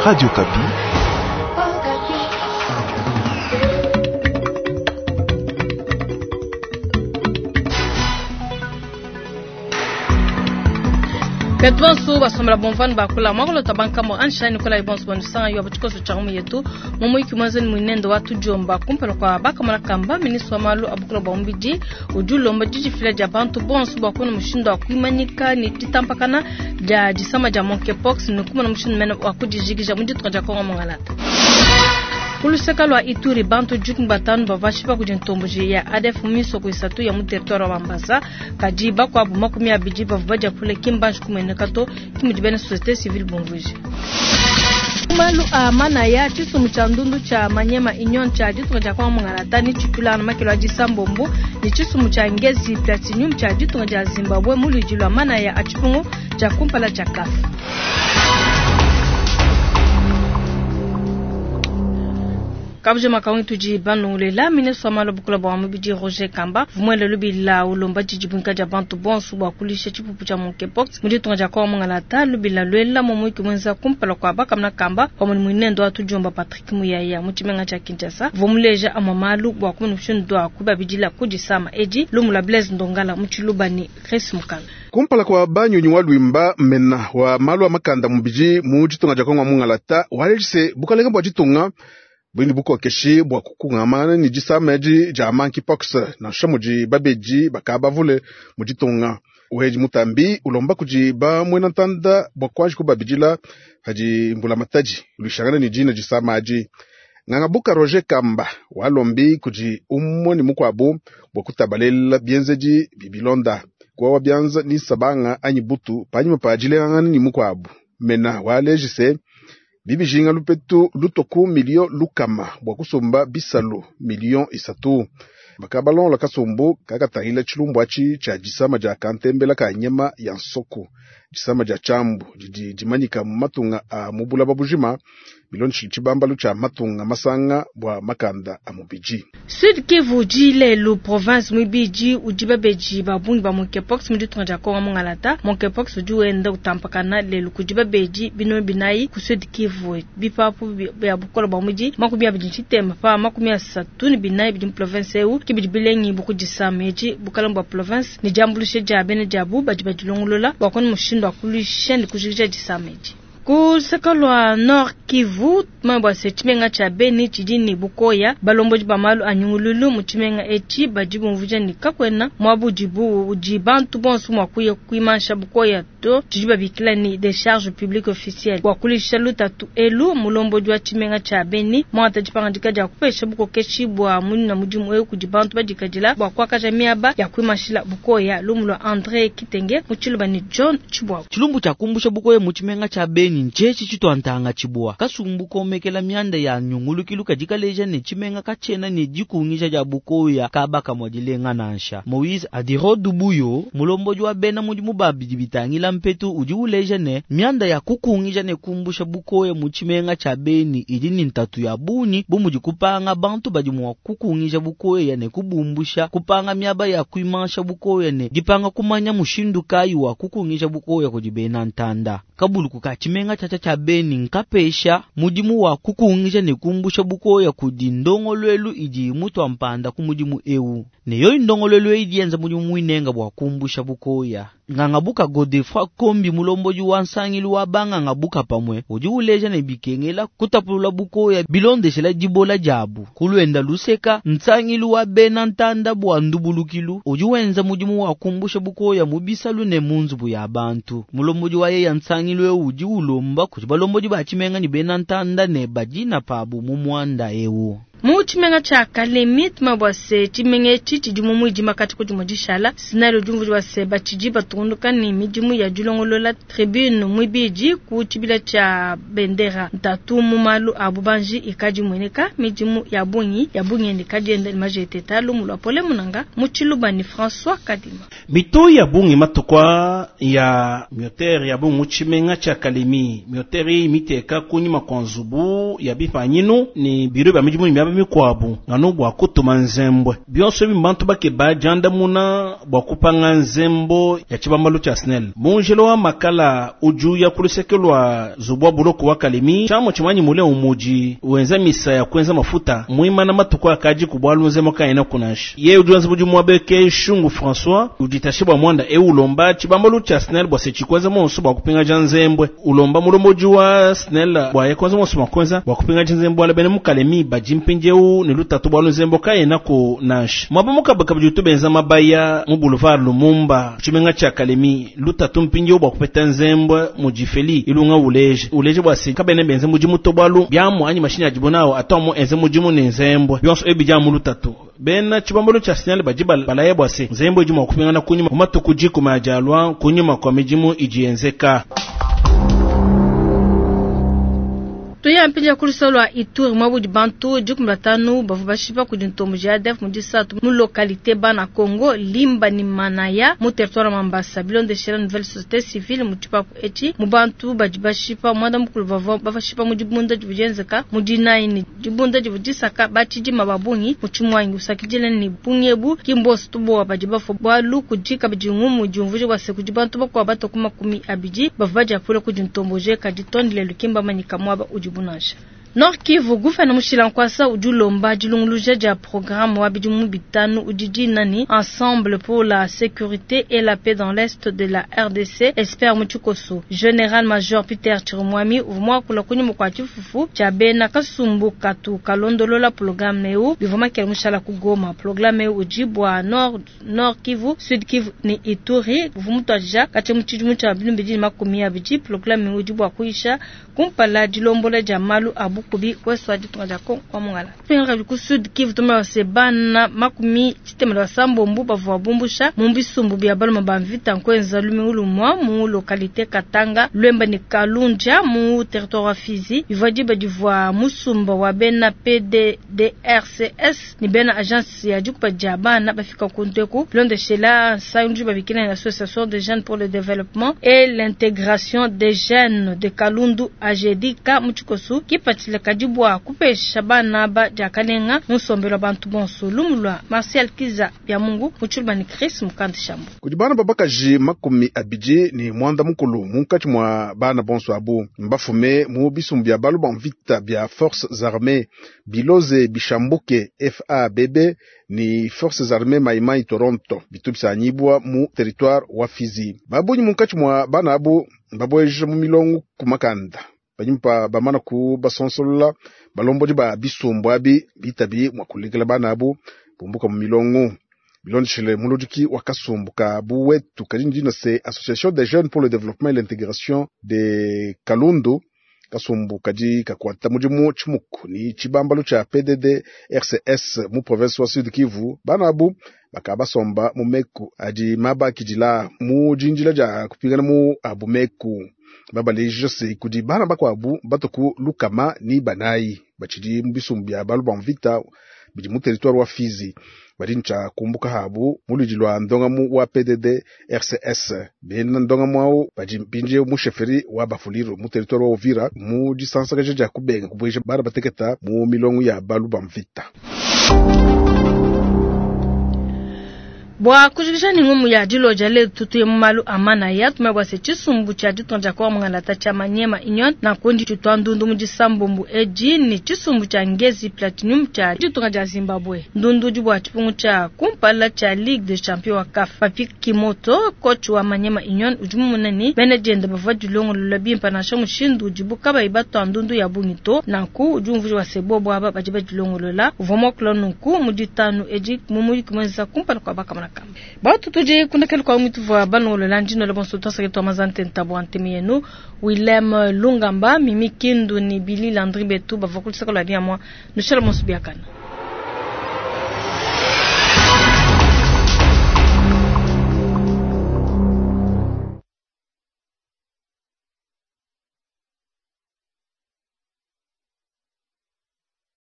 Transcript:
Radio Okapi. Betu bonso basombela bomvani bakula mwakulota bankamo anshani kola bonso bandusanga yo abatshikoso tsha mu yetu mu muiki mwenzeni mwinendo wa tujomba kumpala kwa bakamona kamba ministre wa malu abukula bwa mubidi udi ulomba didifila dia bantu bonso bua kuna mushindu wa kuimanyika ni ditampakana dia disama dia monkeypox ni kumona mushindu mene wa kudijikija mu ditunga dia Kongo Mongalata. Kuluseka lwa Ituri bantu jukumi batanu bavashipa kudi ntomboji ya ADF misoko isatu ya mu territoire wa Mambasa kadi bakuabu 20 bavua badia kule kimbanji kumueneka to kimudi bena société civile bumvuije. Malu a manaya tshisumbu tshia ndundu tshia Manyema Union tshia ditunga dia Kongo Mongalata ni tshitulana makelo a disambombo ni tshisumbu tshia Ngezi Platinum tshia ditunga dia Zimbabwe mu luidi lwa manaya a tshipungu tshia kumpala tshia CAF. Kabuje makaungi tudi banongolela ministre wa malu bukula bwa mubidi Roger Kamba vumwele lubila ulomba didibwinka dia bantu bonso bua kulisha tshipupu tshia monkeypox mu ditunga dia Kongo Mongalata lubila lwela momuiki mwenza kumpala kua bakamuna kamba pamue ne muinendo wa tudiomba Patrick Muyaya mu tshimenga tshia Kinshasa vomuleja amua malu bua kumuna mushindu wa kubabidila kudisama edi lumu lua Blaise Ndongala mu tshiluba ne Chris Mukala. Kumpala kwa banyunyi wa lwimba mena wa malu a makanda mubidi mu ditunga dia Kongo Mongalata walejise bukalenge bua ditunga bwindi bukokeshi bua kukungamana ni disama edi dia monkeypox nansha mudi babedi bakabavule mu ditunga. Uhedi mutambi ulomba kudi ba muena ntanda bua kuanji kubabidila padi mbulamatadi luishangana ni dina disama adi. Ngangabuka Roger Kamba walombi kudi umwe ni mukuabu bua kutabalela bienzedi bibilonda kuwawa bianza ni sabanga anyi butu panyima pa dilengangana ni mukuabu mena walejise bibijinga lupetu lutoku milio lukama bua kusumba bisalu milio isatu bakabalongola kasumbu kakatangila tshilumbu atshi tshia disama dia kantembela ka nyama ya nsoko disama dia tshiambu didi dimanyika mu matunga a mu bulaba bujima bilondeshile tshibambalu tshia matunga masanga bua makanda a mubidi. Sud Kivu lelu province mwibidi udi babedi ba bungi ba monkeypox mu ditunga dia Kongo Mongalata. Monkeypox udi wenda utampakana lelu kudi babedi bino binayi ku Sud Kivu bipapu bia bukola bua mudi 24 pa 34 bidi mu province eu kibidi bilengi bukudisama edi bukalenge bua province ni diambulusha dia bena diabu badi badilongolola bua kuona mushindu wa kuluisha ne kujikija disama edi. Ku luseke lua Nord Kivu tumanye se tshimenga tshia Beni tshidi ne bukoya balombodi ba malu a nyungululu mu tshimenga etshi badi bumvuija ne kakuena muaba udibu udi bantu bonso mua kuya kuimansha bukoya to tshidi babikila ni décharge publique officielle bua kulisha lutatu elu mulombodi wa tshimenga tshia Beni muangata dipangadika dia kupesha bukokeshi bua munina mudimu eu kudi bantu badikadila bua kuakaja miaba ya kuimanshila bukoya. Lumu lua André Kitenge mu tshiluba ne John Tshibwabu. Tshilumbu tshia kumbusha bukoya mu tshimenga tshia Beni ntshetshi tshituantanga tshibwa kasumbu komekela mianda ya nyungulukilu kadi kaleja ne tshimenga katshena ne dikungija dia bukoya kaba kamua dilenga nansha. Moise Adiro Dubuyo mulombodi wa bena mudimu babidi bitangila mpetu udi uleja ne mianda ya kukungija ne kumbusha bukoya mu tshimenga tshia Beni idi ni ntatu ya bungi bu mudi kupanga bantu badi mua kukungija bukoya ne kubumbusha, kupanga miaba ya kuimansha bukoya ne dipanga kumanya mushindu kayi wa kukungija bukoya kudi bena ntanda. Kabuluku ka tshimenga tshiatshia tshia Beni nkapesha mudimu wa kukungija ne kumbusha bukoya kudi ndongoluelu idi mutua mpanda ku mudimu eu ne yoyi ndongoluelu eyi idi yenza mudimu muinenga bua kumbusha bukoya. Ngangabuka Godefroid Kombi mulombodi wa nsangilu wa bangangabuka pamue udi uleja ne bikengela kutapulula bukoya bilondeshela dibola diabu. Kuluenda luseka nsangilu wa bena ntanda bua ndubulukilu udi wenza mudimu wa kumbusha bukoya mu bisalu ne mu nzubu ya bantu. Mulombodi wa yeya nsangilu eu udi ulomba kudi balombodi ba tshimenga ne bena ntanda ne badina pabu mu muanda eu. Mu tshimenga tshia Kalemi tumanye bua se tshimenga etshi tshidi mu muidima kati kudi dishala sinali udi umvuija bua se batshidi batungunuka ne midimu ya dilongolola tribune muibidi ku tshibila tshia bendera ntatu mu malu a bubanji ikadi imueneka midimu ya bungi ya bungi ikadi yenda ne majeteta lumu lua pole munanga mu tshiluba ne François Kadima. Mito ya bungi matukwa ya miotere ya bungi mu tshimenga tshia Kalemi miotere iyi miteka kunyima kwa nzubu ya bipanyinu ni biro bya midimu ni miaba miaba mikuabu nganu bua kutuma nzembwe. Bionso ebi mbantu bakeba diandamuna bua kupanga nzembo ya tshibambalu tshia SNEL. Mu njila wa makala udi uya ku luseke lua nzubu wa buloko wa Kalemi, tshiamu tshimanyi mule umudi wenza misa ya kuenza mafuta muimana matuku akadi ku bualu nzembo kayena kunansha. Yeye udi wenza mudimu wa beke Shungu François uditashe bua mwanda eu ulomba tshibambalu tshia SNEL bua se tshikuenza monso bua kupingaja nzembwe. Ulomba mulombodi wa SNEL bua ye kuenza monso bua kuenza bua kupingaja nzembwe ala bena mu Kalemi badi mpindieu ne lutatu bualu nzembo kayena kunansha. Mwaba mukabaka budi utubenza mabaya mu boulevard Lumumba tshimenga tshia Kalemi lutatu mpindieu bua kupeta nzembwe mu difeli ilunga uleje uleje bua se kabene benze mudimu to bualu biamu anyi mashini adibo nawo atomo enze mudimu ne nzembwe bionso ebi dia mu lutatu. Bena tshibambalu tshia SNEL badi balaya bua se nzembwe idi mua kupingana kunyima mu matuku dikumi adi alua kunyima kua midimu idi yenzeka. Tuya mpinja ku lwa Ituri mwabudi bantu 15 bavua bashipa kudi ntombo ya ADF mu disatu mu localité bana Congo Limba ni Manaya mu territoire Mambasa bilondeshela nouvelle société civile mu tshipapu etshi mu bantu badi bashipa mwanda mukulu bavua bashipa mu dibunda divua dienzeka mu dinayi ni dibunda divua disaka batshidima ba bungi mu tshimwangi usakidila ni bungi ebu ki mbonso tubowa badi bafua bualu kudi kabidi ngumu diumvuija bua se kudi bantu bakuabu batua ku 20 bavua badiapula kudi ntomboje kadi tondi lelu ki mbamanyika muaba udi bunansha. Nord Kivu guvena mushila nkwasa udi ulomba dilunguluja dia programme wa bidimu bitanu udi dina ni Ensemble pour la sécurité et la paix dans l'est de la RDC espère mu tshikoso. Général Major Peter Chirimwami uvua muakula kunyima kua tshifufu tshia bena kasumbu katu kalondolola programme eu bivua makele mushala ku Goma. Programme eu udi bua Nord Kivu, Sud Kivu ni Ituri uvua mutuadija katshia mu tshidimu tshia 2020. Programme eu udi bua kuyisha kumpala dilombola dia malu a bukubi kwesu ditunga dia Kongo wa mongala. Pinga ku Sud Kivu tuma se bana 69 bavua bumbusha mu bisumbu bia baluma ba mvita nkwenza lumingu lumwa mu localité Katanga Lwemba ni Kalunja mu territoire wa Fizi bivua diba divua musumba wa bena PDDRCS ni bena agence ya dikupa dia bana bafika kunteku bilondeshela nsangi babikina na association des jeunes pour le développement et l'intégration des jeunes de Kalundu AGDK mu tshikosu kipatshila kadi bua kupesha bana ba diakalenga mu nsombelu wa bantu bonso. Lumu lua Martial Kiza bya Mungu mu tshilumba ni Chris Mukandi Shambo. Kudi bana babakaji 29 munkatshi mua bana bonso abu mbafume mu bisumbu bia balu ba mvita bia Forces Armées Biloze Bishambuke FABB ni Forces Armées Maimai Toronto bitu bisanyibwa mu territoire wa Fizi. Babunyi munkatshi mua bana abu mbabweje mu milongo ku makanda banyimpa bamana ku basonsolola balombodi ba bisumbu abi bitabi mua kulekela bana abu bumbuka mu milongo bilondeshele muludiki wa kasumbu ka buwetu kadi ndina se Association des jeunes pour le développement et l'intégration de Kalundu kasumbu kadi kakuata mudimu tshimuku ni tshibambalu tshia PDD RCS mu province wa Sud Kivu bana abu bakabasomba mu meku adi mabakidila mu dinjila dia kupingana mu abu meku babaleja se kudi bana bakuabu batuku lukama ni banayi batshidi mu bisumbu bia balu ba mvita bidi mu territoire wa Fizi badi ntshia kumbuka habu mu ludi lua ndongamu wa PDD RCS bena ndongamu awu badi mpindieu mu sheferi wa Bafuliru mu territoire wa Uvira mu disansakaja dia kubenga kubueja bana bateketa mu milongo ya balu ba mvita. Bua kujikija ni ngumu ya diloja letu tuye mu malu a manaya tumebwa se tshisumbu tshia ditunga dia Kongo mungalata tshia Maniema Union na kundi tshitwa ndundu mu disambombo edi ni tshisumbu tshia Ngezi Platinum tshia ditunga dia Zimbabwe. Ndundu udi bua tshipungu tshia kumpala tshia Ligue des Champions wa CAF. Papi Kimoto coach wa Maniema Union udi mumona ni bena dienda bavua dilongolola bimpa nansha mushindu udibu kabayi batwa ndundu ya bungi to nanku udi umvuija wa se bobo aba badi badilongolola uvua muakula nunku mu ditanu edi mu muyuki muenza kumpala kua bakamana kamba. Batu tudi kundekele kwa mutu vwa balongolola ndino le bonso twasake twa mazante ntabo antemi yenu Willem Lungamba Mimi Kindu ni Billy Landry Betu bavua kulisaka la dia mwa nushela monso biakana.